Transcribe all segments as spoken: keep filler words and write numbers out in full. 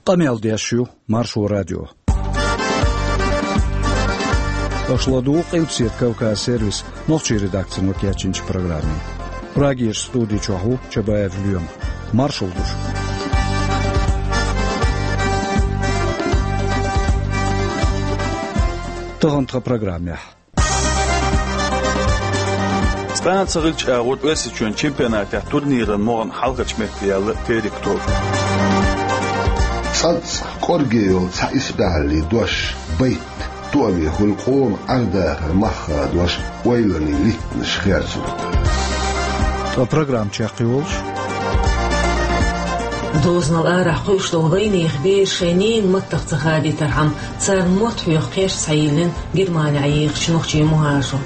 Къамел деш ю Маршо радио. Аша ладугӀу Къилбаседа Кавказ сервисан нохчийн редакцино кечйинчу программе. Прагерчу студи чохь ву Чабаев Лоьма. Маршалла ду шуьга. Тахана тхан программехь. Цкъа а ца хилча агӀор Оьрсийчоьнан чемпионатехь турниран могӀан хьалхарчу метте яьлла Терек тоба. ЦӀанцӀа кӀорге йолу цхьа исбаьхьаллин дош, байт, тоаме хуьлу къоман Ӏер-дахаран мах хадош, ойланийн литтанаш херцо. Ткъа программа чекхйолуш. Дозанал арахь кхуьуш долу вайнехан бераш шайн ненан маттах ца хадийтархьама, царна мотт хьоьху кхерч схьайиллина Германехь ехачу нохчийн мухӀажарша.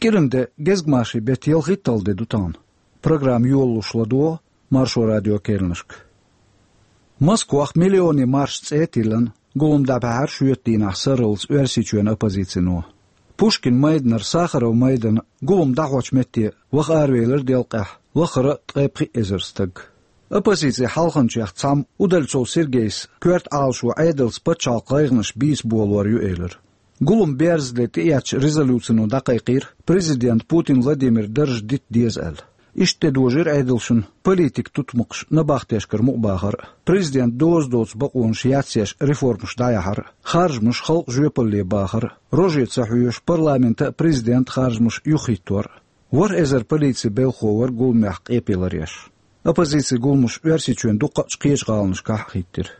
КӀиран де, гезгмашин беттан ялхитталгӀа де ду тахана. Программа йолалуш ладогӀа Маршо радион керланашка. Москвахь «Миллионийн марш» цӀе а тиллина, гулам дӀабаьхьира шоьтан дийнахь сарралц Оьрсийчоьнан оппозицино. Пушкин майданара Сахаров майдана гулам дӀахьочу метте ваха аравелира делкъехь лахара а ткъе пхи эзар стаг. Оппозицин хьалханчех цхьамма Удальцов Сергейс коьрта Ӏалашо Ӏедалца пачхьалкхан гӀайгӀанаш бийца болор ю элира. Гулам берзале тӀеэцначу резолюцино дӀакхайкхийра президент Путин Владимиран дарж дита деза аьлла. Иштта тӀедожийра Ӏедалшна политикан тутмакхаш набахтешкара мукъабахар а, президентан доза доцу бакъонаш яцъеш реформаш дӀаяхьар а, харжамаш халкъан жоьпалле бахар а, роже ца хьоьжуш парламентан а, президентан а харжамаш юхахӀиттор а. ВорхӀ эзар полицин белхахо вара гуламехь къепе ларъеш. Оппозицин гуламаш Оьрсийчоьнан дуккха а кхечу гӀаланашкахь а хӀиттира.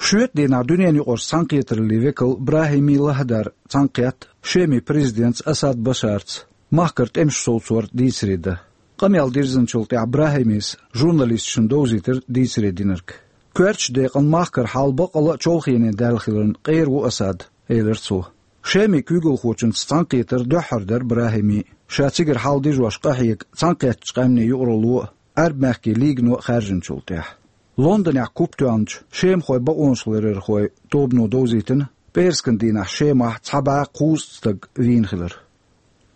Шоьтан дийнахь дуьненаюкъарчу цхьаьнакхетараллин векал БрахӀими Лахдар цхьаьнакхетта Шеман президентца Асад Башарца махкара тӀемаш совцор дийцаре дан. Къамел дирзинчул тӀаьхьа БрахӀимис журналисташна довзийтира дийцаре динарг. Коьртачу декъана махкара хьал баккъалла а чолхене даьлла хиларна къера ву Асад, элира цо. Шеман куьйгалхочуьнца цхьаьнакхетар дуьххьара дара БрахӀимин, ша цигара хьал дижош къахьега цхьаьнакхеттачу къаьмнийн юкъаралло а, Ӏаьрбийн мехкийн лигано а хаьржинчул тӀаьхьа. Лондонехь куп тоьхначу шемахойн бакъонашларъярхойн тобано довзийтина, пӀераскан дийнахь Шемахь цхьа бӀе кхузткъа стаг вийна хилар.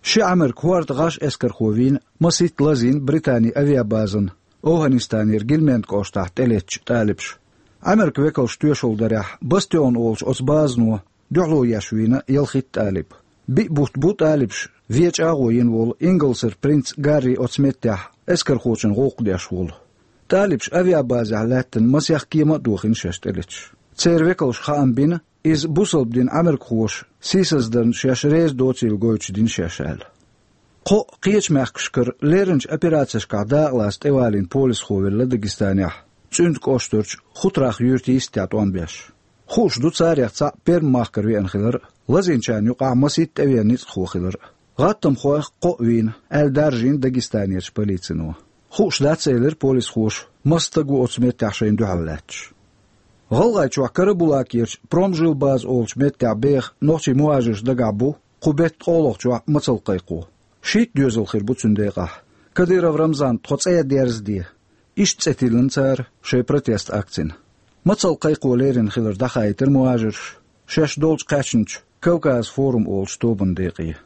Ши Ӏамеркан хӀордан гӀаш эскархо вийна, масийтта лазийна Британин авиабазана ОвхӀанистанера Гильменд кӀоштахь тӀелеттачу талибаша. Ӏамеркан векалша тоьшалла дарехь, Бастион олучу оцу базано дуьхьало еш вийна ялхитта талиб. Биъ бутт бу талибаша вен чӀагӀо йина волу Ингалсера принц Гарри оцу меттехь эскархочун гӀуллакх деш волу. Талибаш авиабазехь лаьттина масех кема а дохийна шаьш тӀелеташ. Церан векалша хаам бина, иза бусалба дин Ӏамеркахоша сийсаздарна шаьш реза доцийла гойтуш дина шаьш аьлла. Кхо а кхечу мехкашкара лерринчу операцешкахь дакъалаца тӀевалийна полисхо велла Дагестанехь, ЦӀуьнда кӀоштарчу Хутрах юьртан йистехь тӀом беш. Хууш ду царех цхьаъ Пермь махкара веана хилар а, лазийначарна юкъахь масийтта тӀевеана ницкъахо хилар а. ГӀаттамхойх кхоъ вийна, аьлла даржийна Дагестанерчу полицино. Хууш дац, элира полисхоша, маса стаг ву оцу меттехь шайна дуьхьал лаьтташ. ГӀалгӀайчохь Карабулакерчу Промжилбаза олучу меттехь беха нохчийн мухӀажарш дагахь бу кху беттан ткъолгӀачохь мацалла кхайкхо. Шийтта доьзал хир бу цуьнан декъахь. Кадыров Рамзан, тхо цӀе дерзаде. Иштта цӀе тиллина цара шайн протест акцина. Мацалла кхайкхо лерина хилар дӀахаийтира мухӀажарша шаьш долчу кхаьчначу Кавказ форум олучу тобанан декъе.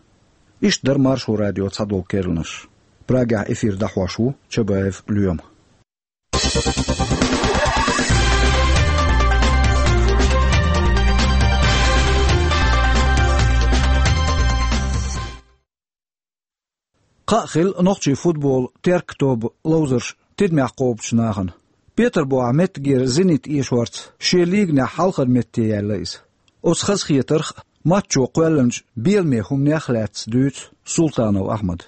Иштта дара Маршо радион цхьадолу керланаш. Прагехь эфир дӀахьош ву Чабаев Лоьма. Кхаъ хилла нохчийн футболан «Терк» тобан ловзарш тидамехь кхобучу нахана. Петарбухехь меттигера «Зенит» эшорца шен лиганехь хьалхара метте яьлла иза. Оцу хазахетарх а, матчо кхоьллинчу беламе хӀуманех а лаьцна дуьйцу Султанов Ахьмада.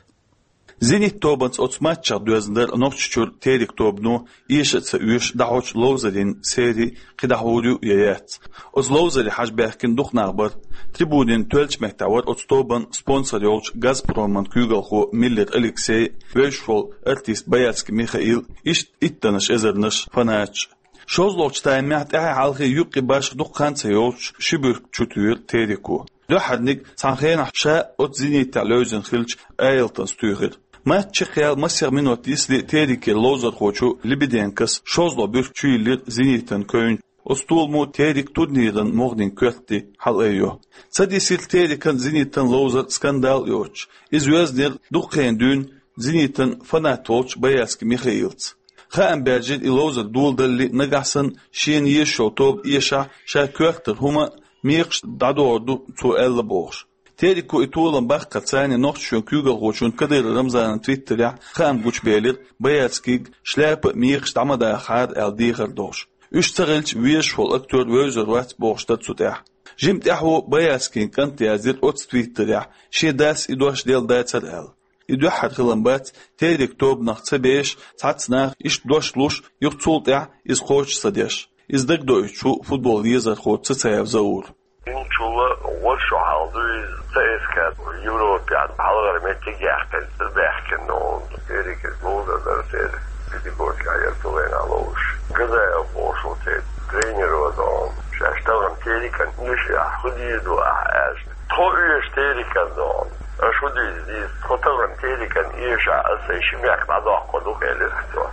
«Зенит» тобанца оцу матчехь доьзна дара Нохчийчуьра «Терек» тобано эша а ца оьшуш дӀахьочу ловзарийн сери кхин дӀахьур ю я яц. Оцу ловзаре хьажа баьхкина дукха нах бара. Трибунийн тоьллачу меттехь вара оцу тобанан спонсор йолчу «Газпроман» куьйгалхо Миллер Алексей, вевзаш волу артист Боярский Михаил, иштта иттаннаш эзарнаш фанаташ. ШолгӀачу таймехь тӀаьхьа-хьалха юккъе башха дукха хан ца йолуш ши буьрка чутуьйхира «Тереко». Дуьххьарниг цхьана хенахь ша оцу «Зенитехь» левзина хиллачу Айлтонс туьйхира. Матч чекхъяьлла масех минот йисте «Терекера» ловзархочо Лебеденкос шолгӀа буьрка чуйиллира «Зенитан» кевнчу Оцу толамо Терек турниран могӀанийн коьрте хьалаайо. Ца дисира Терекан «Зенитан» ловзар скандал йоцуш. Иза йоьзнера дукха хан дуьйна «Зенитан» фанат волчу Боярский Михаилца. Хаам баьржира и ловзар доладалале, нагахь санна шена езаш йолу тоба эшахь, ша коьртара хӀума а, мекхаш а дӀадохур ду цо аьлла бохуш. Тереко и толам баккхарца цхьаьна Нохчийчоьнан куьйгалхочунна Кадыров Рамзанна Твиттерехь хаам гучубелира Боярскийга шляпа а, мекхаш а дӀа ма дахахьара аьлла дехар долуш. Уьш ца хилча, везаш волу актер вевзар вац бохуш дара цу тӀехь. Жимма тӀаьхьо Боярскийн кӀанта яздира оццу Твиттерехь, шен дас и дош делла дацара аьлла. И дуьххьара хилам бац Терек тобанах ца беш, цхьацца наха иштта дош луш, юха цул тӀаьхьа иза кхочуш ца деш. Иза дагадоуьйтуш ву футбол езархо Цацаев Заур. Инчула гӀоьршо хьалха ду иза, ЦСКА Европехь хьалхара меттиг яьккхина, ца баьхкина долу. Терек иза ловзар дара церан, педагогика яра цу вайна ловзуш. Газаев бохуш ву церан тренеро долу. Шаьш тахана Терекан эшахь хӀун дийр ду ахь аьлча, тхо оьшу Терекан долу. Аша хӀун дийр ду? Тхо тахана Терекан эшахь, аса сайн ши мехк дӀадоккхур ду, элира цо.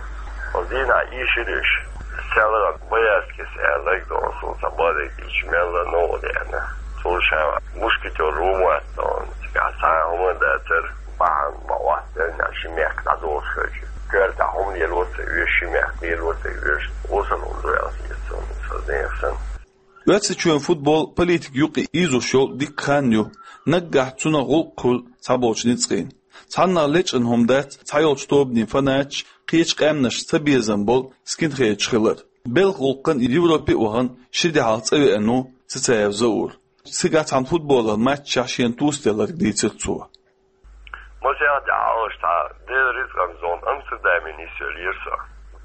Оцу дийнахь ийшира уьш. Цаьрга Боярскийс аьлларг долу, суна сан бадайг дийча мелла новкъа деана. Цо ша мушкетёр ву ма вац долу. Цигахь цхьа а хӀума дацара, бахьана ма Ӏоттаелла, ши мехк дӀадолуш хилча. Коьртахь хӀума лело ца оьшу, ши мехк лело ца оьшу, осал хӀума ду аьлла хета суна, сан зенах санна. Оьрсийчоьнан футбол политика юкъа ийзош йолу дикка хан ю, наггахь цунах гӀуллакх хуьлу цхьаболчу ницкъийн. Цхьаннах лечкъина хӀума дац цхьайолчу тобанийн фанаташ, кхечу къаьмнашца цабезам болу скинхедаш хилар. Белхан гӀуллакхан Европе а вахана, ши де хьалха цӀа веана ву Цацаев Заур. Цигахь цхьана футболан матчехь шена тосаделларг дийцира цо. Масех де хьалха цхьа Делан рицкъан зона Амстердаме нисъеллера со.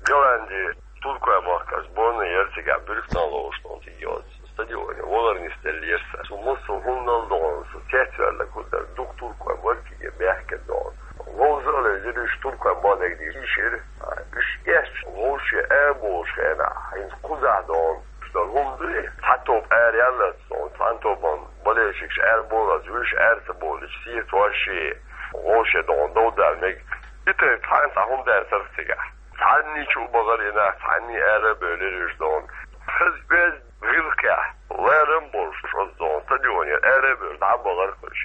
Голланди, Туркойн махкара сборная яра цигахь, Бирхтан ловзуш долу цига йоцу стадионе валар нисделлера сан. Со массо а хӀуманал догӀу, со цецваьлларг хӀун дара, дукха туркой бара цига баьхкина догӀу. Ловза а левзира уьш, туркойн бадайг дийшира. Уьш эцча, вовшийн аьрболуш хенахь, хӀинца кхузахь догӀу, уьш долу хӀума дуй, цхьа тоба араяллалц догӀу, цхьана тобанан болельщикаш аьрболалц, уьш аьрца болуш, сийца ваьшший, вовшийн догӀу довдал мега. И тайпа цхьана цхьа хӀума дацара цигахь. Цхьанний чу бахара и нах, цхьанний ара а бевлира уьш догӀу. Хаза оьзда гӀиллакхехь, ларам болуш оцу догӀу стадионера ара а бевлла, дӀа а бахара уьш.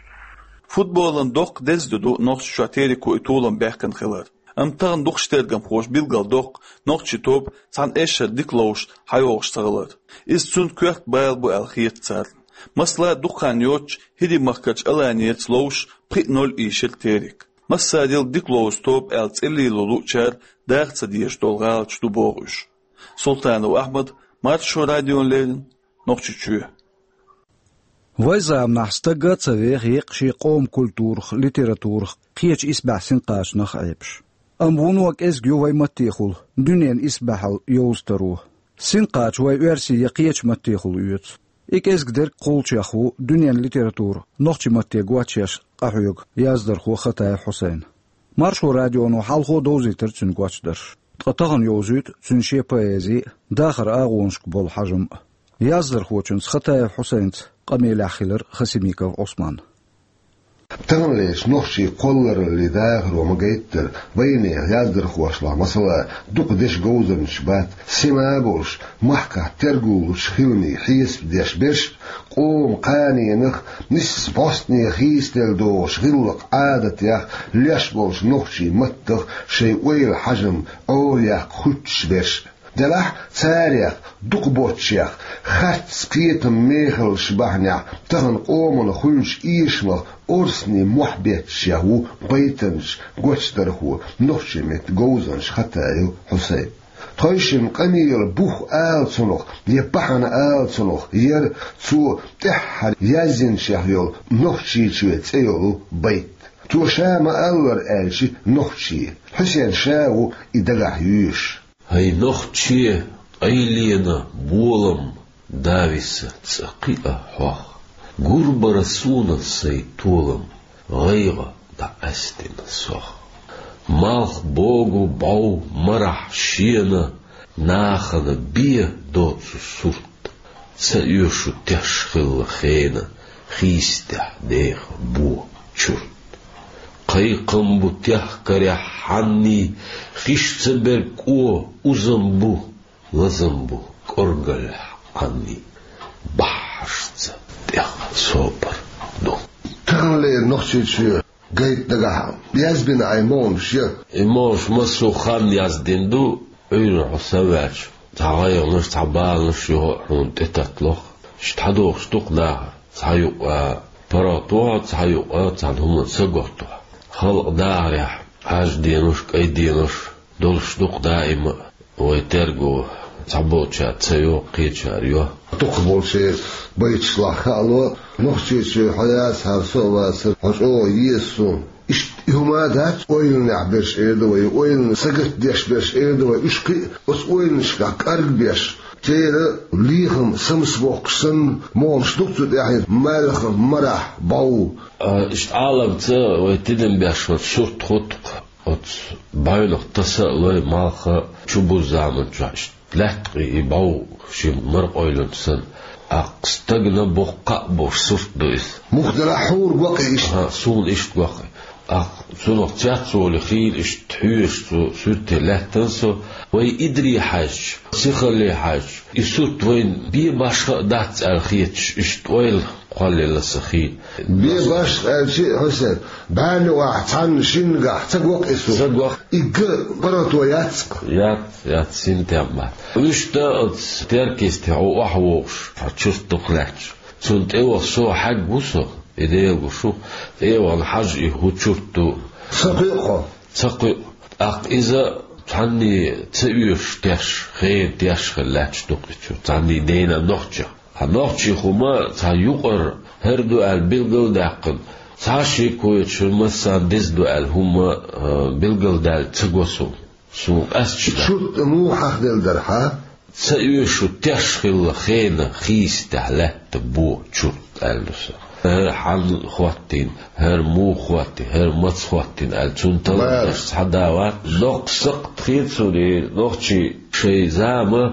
Футболан доккха деза де ду Нохчийчохь Тереко и толам баьхкина хилар. Амма тахана дукхачу тергамхоша билгалдоккху нохчийн тоба цхьана эшшара дика ловзуш хьайогӀуш ца хилар. Иза цуьнан коьрта бала бу аьлла хета царна. Масала, дукха хан йоццуш ХӀирийн-Махкарчу Аланияца ловзуш пхиъ ноль ийшира Терек. Массарел дика ловзу тоба аьлла цӀе лело луучара даха ца дезаш долу гӀалаташ ду боху уьш. Султанов Ахьмад, Маршо радиона леррина, Нохчийчоь. Вайн заманахь стаг а ца веха еккъа шен къоман культурах, литературах, кхечу исбаьхьа синкъачанах а Ӏепаш. Амма вуно кӀезиг ю вайн маттехула дуьненан исбаьхьалла йовза таро. Синкъача вайн оьрсийн я кхечу маттехула оьцу. И кӀезиг дерг кхуллучех ву дуьненан литература нохчийн матте гочъеш къахьоьгу яздархо Хатаев Хьусайн. Маршо радионо хьалхо довзийтира цуьнан гочдарш. Ткъа тахана йовзуьйту цуьнан шен поэзи а, дахаран агӀонашка болу хьажам а. Яздархочуьнца Хатаев Хьусайнца къамелехь хилира Хасимиков Ӏусман. Таханлерчу нохчийн кхоллараллин дахаро ма-гайттара, вайнехан яздархошлахь, масала, дукха дешан говзанчаш бац, сема а болуш, махкахь тергал лучу хиламийн хьесап деш берш, къоман кханенах, нисса бӀостанехь хийцаделла догӀучу гӀиллакх-Ӏадатех, леш болчу нохчийн маттах шайн ойла, хьажам, Ӏора яккха хуьттуш берш. Делахь царех, дукхахболчех, харц кхетам, мехаллаш бахьанехь тахана къомана хуьлучу эшамах орцанийн мохь бетташех ву байтанча, гочдархо, нохчийн меттан говзанча Хатаев Хьусайн. Тхойшинна къамелан бух ала цунах, я бахьана ала цунах, яра цо тӀаьххьара язйинчех йолу «Нохчийчоь» цӀе йолу байт. Цо ша ма-аллара аьлча, нохчи. Хьусайн ша ву и дагахь юьйш. ХӀай нохчи, къайленан болам, дависа цӀа кхиа хьох. Гур бара суна сайн толам, гӀайгӀа дӀакъаьстина сох. Малх богу бӀов марахь шена, нахана бен доцу сурт. Ца оьшу теш хилла хена, хийцадехь деха бо чурт. Кхайкхам бу техкарехь хьанний, хиш ца берг кӀо узам бу, лазам бу кӀоргаллехь Ӏанни бахьашца тӀех собар ду. Таханлера Нохчийчоь гайта дагахь язбина Ӏай могӀанаш я. И могӀанаш массо а хан яздина ду, Ӏуьйранна хьо са ваьлча, цхьа гӀайгӀанаш, цхьа баланаш юха а хьуна тӀетатталуш. Иштта хьадохуш ду-кх нахара, цхьа юкъа паргӀато хьо, цхьа юкъа цхьана хӀуманна са готто хьо. Халкъан дахарехь Ӏаьржа денош, кӀайн денош долуш ду-кх даима а, вай терго цхьаболчара ца йо, кхечара йо. Дукхахболчеран байташлахь хаало, Нохчийчоь хьо яцахьара со а вацара, хьо чӀогӀа еза суна. Иштта и хӀума дац ойланехь берш эр ду вай, ойланна сагатдеш берш эр ду вай, уьш кхин а оцу ойланашкахь кӀаргбеш, церан лехам самсабоккхуш санна, могӀанаш ду-кх цу тӀехь, маьлхан марахь бӀов. А, иштта Ӏаламца вай тидам беш хӀара сурт хӀутту-кх. Оцу бӀаьвнах таса а лой, малх а чубузу заманчохь иштта лаьтта къий и бӀов шен мара къойланча санна. ТӀаккха стагана боккха кхаъ болуш сурт ду иза. Муха делахь хьуна го-кх иштта? ХӀаъ, суна иштта го-кх. ТӀаккха цунах цецволу хийла иштта хьоьжуш цу суьрте лаьттина со, вай идаре хьаьжча, сихалле хьаьжча, и сурт вайна бен башха а дац аьлла хеташ, иштта ойла кхоллаелла сан хийла. Бен башха аьлча а, Хьусен, бӀаьрни охьа цхьанна шиннагахь ца го-кх и сурт? Ца го-кх. И ган паргӀато яц-кх? Яц, яц, синтем бац. Вуьшта оцу теркисте хьо охьавогӀуш, хьо чурт дукха лаьтташ. Цунна тӀеваха со хьаьгна ву со, и Дела гуш ву, тӀе а вахана хьажа и хӀун чурт ду. Ца кхуьу хьо? Ца кхуьу. ТӀаккха иза цхьанне ца оьшуш теш, хена теш хилла лаьтташ ду-кх и чурт, цхьанне дена нохчех. Хьан нохчийн хӀума цхьа юкъара хӀара ду аьлла билгал а даьккхина, цхьа а шеко йоцуш хӀара массарна деза ду аьлла хӀума, а, билгал даьлла ца го суна. Суна къаьсташ дац. Чурт муха хьахделла дара хьан? Ца оьшу теш хилла хена хийсатехь лаьтта бо чурт аьлла ду сан. ХӀара хьанна хӀоттийна, хӀара муха хӀоттийна, хӀара маца хӀоттийна аьлла, цунна талламаш схьадалар. Доккха сакхт хета суна и нохчий шайн зама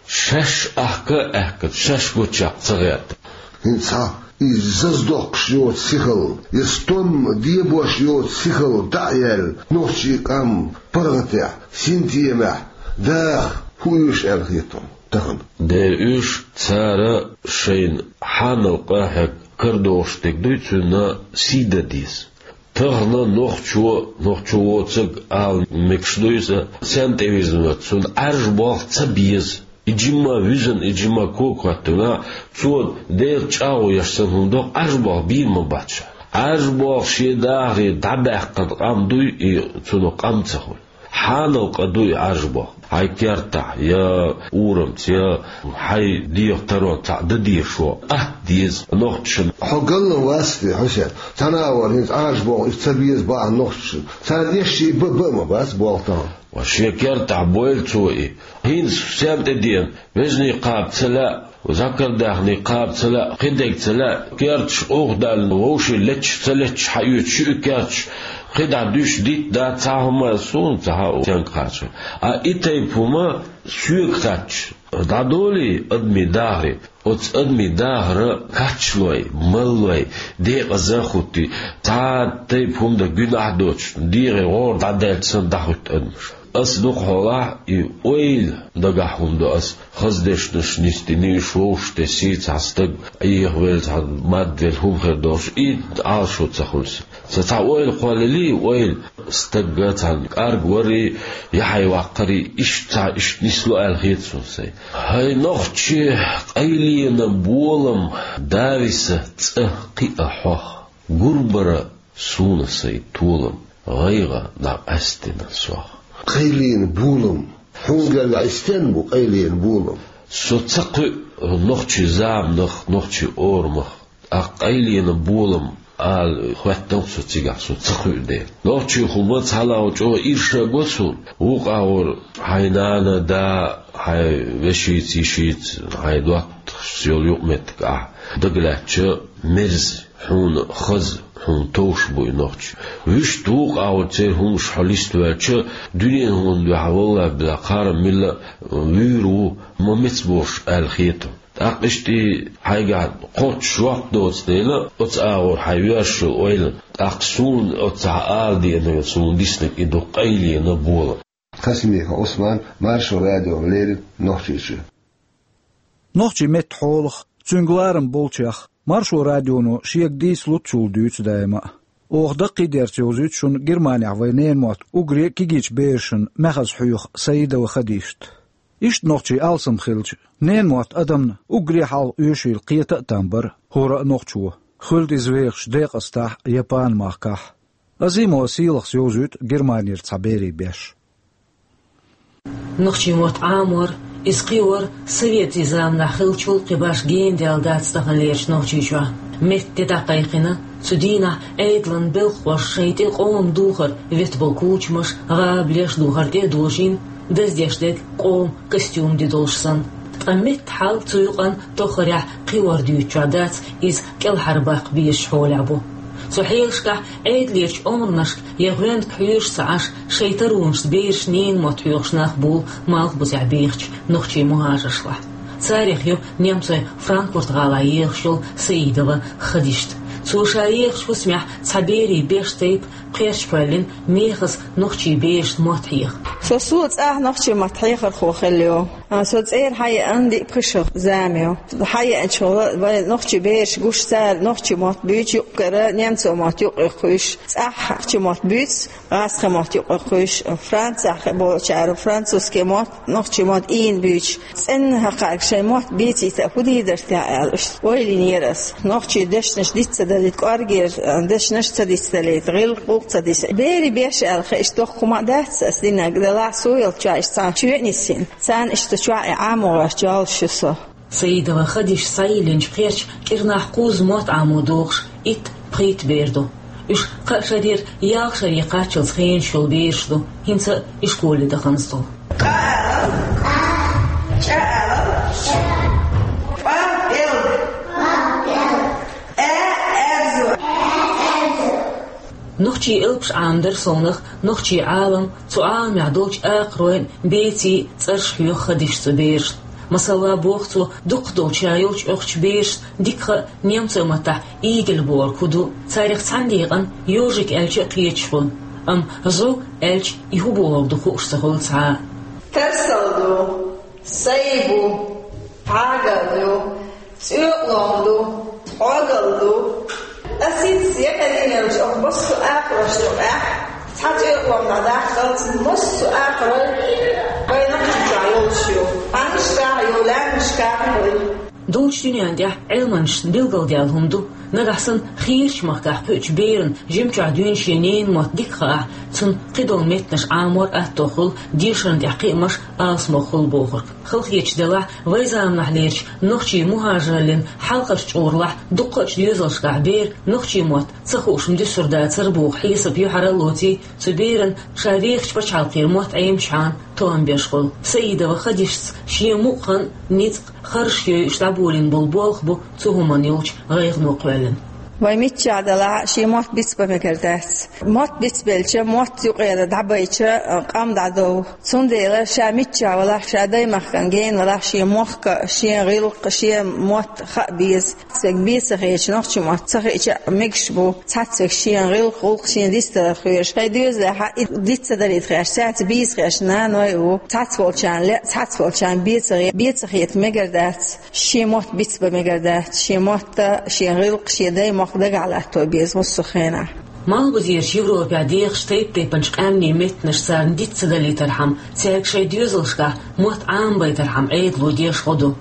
шаьш ахка а аьхкина, шаьш гучех ца гӀерта. ХӀинца хьан и заза доккхуш йоцу сихалла, я стом дебош йоцу сихалла дӀа а яьлла, нохчийн къам паргӀатехь, синтемехь даха хӀун оьшу аьлла хета хьуна тахана? Дера оьшу, цара шайна хьанал къа хьега карадогӀуш дерг дуй, цуьнан сий дан деза. Тахана нохчо, нохчо воцург ала мегаш дуй иза, сенна тӀе вирзина вац, цунна Ӏаьржа болх ца беза. И жимма вуьзна, и жимма кога хӀоьттина, цо Делан чӀагӀо еш санна хӀума доккху, Ӏаьржа болх бийр ма бац ша. Ӏаьржа болх шен дахаре дӀабаьккхина къам дуй и, цунах къам ца хуьлу. Хьанал къа дуй Ӏаьржа болх. Хьайн кертахь, я урамца, я хьайн дегӀан таронца цхьаъ дан дезаш ву. Атта деза нохчашна. Хьо галлан вац те, Хьусен? Цхьана а вара хӀинца Ӏаьржа болх иштта ца беза бахьана нохчашна. Царна эшший бан бан а ма бац болх тахана. Ва шен кертахь бойла цо и. ХӀинца сенна тӀе деана, вежарий кхаба ца лаьа, зӀакардаьхний кхаба ца лаьа, кхидерг ца лаьа, керташ къовхадаллина вовшийн леташ ца леташ хьаоьцуш ю и керташ, кхидӀа дуьйш дитт дац цхьа хӀума, суна ца хаьа стенга кхача. А и тайпа хӀума соьга хаьттича, дӀадолий адамийн дахаре, оцу адамийн дахара качлой, маллой, декъаза а хӀуттий, цхьа тайпа хӀума дан гуьнахь а доцуш, дегӀе гӀора дӀадаьлча санна дӀахӀуьтту адамаш. Ас дукхахьолахь и ойла дагахь хӀума до ас, хаза дешнаш нисдина, уьш вовшахтесий, цхьа стаг Ӏехавелла, цхьа мадвелла хӀума хир долуш, и Ӏалашо ца хуьлу сан. Сан цхьа ойла кхоллалий, ойла, стагга цхьана кӀаргварий, яхье ваккхарий, иштта цхьа иштта нисло аьлла хета суна сайн. ХӀай нохчий, къайленан болам, дависа цӀа кхиа хьох, гурбара суна сайн толам, гӀайгӀа дӀакъаьстина сох. Къайленан болам. Хьуна гергахь и стенна бу къайленан болам? Со ца кхуьу нохчийн заманах, нохчийн орамах. ТӀаккха къайленан болам ала хӀоьттина-кх со цигахь, со ца кхуьу дела. Нохчийн хӀума цхьалла чӀогӀа ирша го суна. Вукху агӀор хьайн нана, да, хьайн вешица, йишица, хьайн доттагӀашца йолу юкъаметтиг ахь дагалаьцча, мерза, хьуна хаза, хьуна товш бу и нохчий. Вуьшта вукху агӀор церан хӀумаш хьо листаваьлча, дуьненан хӀуманна дуьхьа, валлахӀи-биллахӀи, кхарам милла а вуьйр ву, ма меца болуш аьлла хета. ТӀаккха иштта и хьайгахь кхоччуш жоп доцу дела, оцу агӀор хьайн йоьрзуш йолу ойла, тӀаккха суна оццахь ала деана, суна диснарг и ду къайленан болам. Хасимиков Ӏусман, Маршо радиона леррина, Нохчийчоь. Нохчийн меттан хьолах, цуьнга ларам болчех Маршо радионо шега дийца луццул дуьйцу даима а. Оха даккхийдерца йовзуьйту шуна Германехь вайн ненан мотт уггаре а кегийчу берашна маьхаза хьоьху Саидова Хадижат. Иштта нохчийн алсам хилча, ненан мотт адамна уггаре а хьалха оьшийла кхета а там бара хӀора а нохчо, хуьлда иза вехаш декъастахь а, Япан-махкахь а. Азимова Сийлахьас йовзуьйту Германера цхьа берийн беш. Нохчийн мотт Ӏамор, иза кхиор советийн заманахь хиллачул кхин башха гена даьлла дац таханлерчу Нохчийчохь. Меттан де дӀакхайкхина, цу дийнахь Ӏедалан белхахоша шайн тӀе къоман духар ветта болу кучамаш, гӀабалеш духар тӀе а дожийна, даздеш дерг къоман костюм де долуш санна. Ткъа меттан хьал цу юкъанна тоххарехь кхиор дуьйцучохь дац, иза кӀелхьарбаккха безачу хьолехь бу. Цу хьелашкахь Ӏедалерчу омранашка я гӀоьнга хьоьжуш ца Ӏаш, шайн таронашца берашна ненан мотт хьоьхуш нах буьйлу Малхбузехь бехачу нохчийн мухӀажаршлахь. Царех ю немцойн Франкфурт-гӀалахь ехаш йолу Саидова Хадижат. Цо ша ехачу хӀусамехь цхьа берийн беш тайпа кхерч кхоьллина мехаза нохчийн берашна мотт хьеха. Со суо цӀахь нохчийн мотт хьехархо хилла ю. А, со цӀера хьаеана диъ-пхи шо зама ю. Хьаеанчохь вайн нохчийн бераш гуш, цара нохчийн мотт буьйцу, юккъера немцойн мотт юккъе кхуьйсуш, цӀахь нохчийн мотт буьйцу, гӀазкхийн мотт юккъе кхуьйсуш, Францехь болчара французский мотт, нохчийн мотт ийна буьйцуш. ЦӀенна хӀокхаьрга шайн мотт бецийта хӀун дийр дара техьа аьлла, иштта ойла йинера ас. Нохчийн дешнаш диц ца далийта, кӀоргера дешнаш ца диц далийта, гӀиллакх-гӀуллакх ца диц. Берийн беш аьлла хиъча доккха хӀума а дац ас динарг, делахь суо йолчохь иштта цхьана чоь а нисйина. Царна иштта чохь и Ӏамо гӀерташ йолуш ю со. Саидова Хадижат схьайиллинчу кхерча кӀирнахь кхузза мотт Ӏамо дохуш, итт-пхийтта бер ду. Уьш кхаа шарера ялх шаре кхаччалц хенаш йолу бераш ду, хӀинца а ишколе даханза долу. Къа алал, чӀа алал, пӀа пӀелг, а аьрзу. Нохчийн элпаш Ӏамадар совнах нохчийн Ӏалам, цу Ӏаламехь долчу акхаройн, бецийн цӀераш хьоьху Хадижатас цу берашна. Масала, боху цо, дукхах долчу ша йолчу оьхучу берашна дика хаьа немцойн маттахь игель бохург хӀун ду, царах цхьана декъана ёжик аьлча а кхеташ хуьлу, амма зӀу аьлча и хӀун бохург ду хууш ца хуьлу цхьа а. Тарсалла ду, сайбу, хьагал ю, цӀоькъалом ду, хьогалла ду. Ас хӀинца якъаделлачу оха массо а акхаройн юкъахь цхьа цӀоькъалом дӀадаккхалц, массо а акхарой вайн Нохчийчохь йолуш ю. Къаьмнашкахь а ю, лаьмнашкахь а ю. Долчу дуьненна тӀехь Ӏилманчашна билгалдаьлла хӀума ду, нагахь санна хийрачу махкахь кхуьучу берана жимчохь дуьйна шен ненан мотт дика хаахь, цунна кхидолу меттанаш Ӏамор атто хуьлу, дешарна тӀехь кхиамаш алсамо хуьлу бохург. Халахеташ делахь, вайн заманахьлерчу нохчийн мухӀажараллин хьалхарчу чкъураллахь дуккхачу доьзалшкахь бер нохчийн мотт ца хууш ма дуьсур дацара боху хьесап юьхьара а лоций, цу беран ша вехачу пачхьалкхера мотт Ӏемачхьана тоам беш хуьлу. Саидова Хадижатас шен мукъа хан, ницкъ, харжаш йойуш дӀаболийна болу болх бу цу хӀуманна йолчу гӀайгӀано кхоьллина. Вай миччахь далахь а, шен мотт бицбан мегар дац. Мотт бицбелча, мотт юкъера дӀабайча, къам дӀадов. Цундела ша миччахь валахь, ша даймахкана гена валахь, шен мохк а, шен гӀиллакх а, шен мотт а хаа беза. Цхьацца вегга бен ца хеташ, нохчийн мотт ца хиъча а мегаш бу. Цхьацца вегга шен гӀиллакх-гӀуллакх шена дицдалар хьоьжуш. Шайн доьзалехь а и диц ца далийта хеташ, цаьрца бийца хеташ наной а ву. Цхьацца волчарна лаьа, цхьацца волчарна бен ца хе-, бен ца хета мегар дац. Шен мотт бицбан мегар дац, шен мотт а, шен гӀиллакх а, шен даймохк а дагахь латто беза массо а хенахь. Малхбузерчу Европехь дехаш тайп-тайпанчу къаьмнийн меттанаш царна диц ца далийтархьама, цаьрга шайн доьзалшкахь мотт Ӏамабайтархьама Ӏедало деш гӀо ду.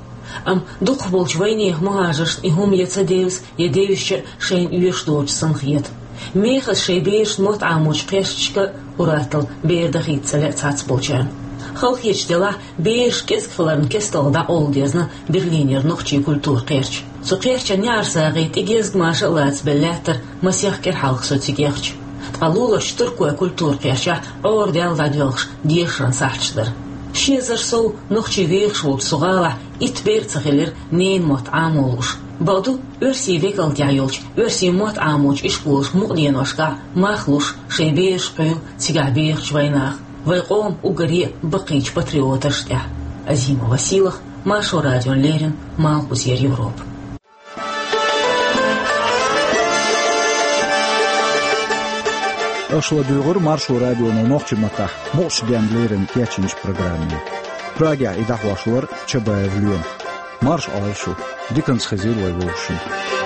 Амма дукхахболчу вайнехан мухӀажаршна и хӀума я ца девза, я девзича а шайна оьшуш доцуш санна хета. Мехаза шайн берашна мотт Ӏамочу кхерчашка а ур-атталла бер дахийта ца лаьа цхьацца болчарна. Халахеташ делахь, бераш кӀезиг хиларна кестта дӀакъовла дезна Берлинера нохчийн культуран кхерч. Цу кхерчан неӀарсагӀий тӀе гезгмаша а лацабелла лаьттара масех кӀира хьалха со цига яхча. Ткъа луларчу туркойн культуран кхерчахь Ӏорадаьлла дӀадоьлхуш дешаран сахьташ дара. Ши эзар сов нохчий вехаш волчу цу гӀалахь итт бер а ца хилира ненан мотт Ӏамо лууш. Бакъду, оьрсийн векалтехь йолчу оьрсийн мотт Ӏамочу ишколашка мукъаденошкахь мах луш шайн бераш кхуьйлу цигахь бехачу вайнаха. Вайн къоман уггаре а баккхийчу патриоташна тӀехь. Азимова Сийлахь, Маршо радиона леррина, Малхбузера Европа. Аша ладуьйгӀура Маршо радионо нохчийн маттахь мукъачу денна леррина кечйинчу программе. Прагехь и дӀахьош вара Чабаев Лема. Марша Ӏойла шу. Диканца хезийла вай вовшашта.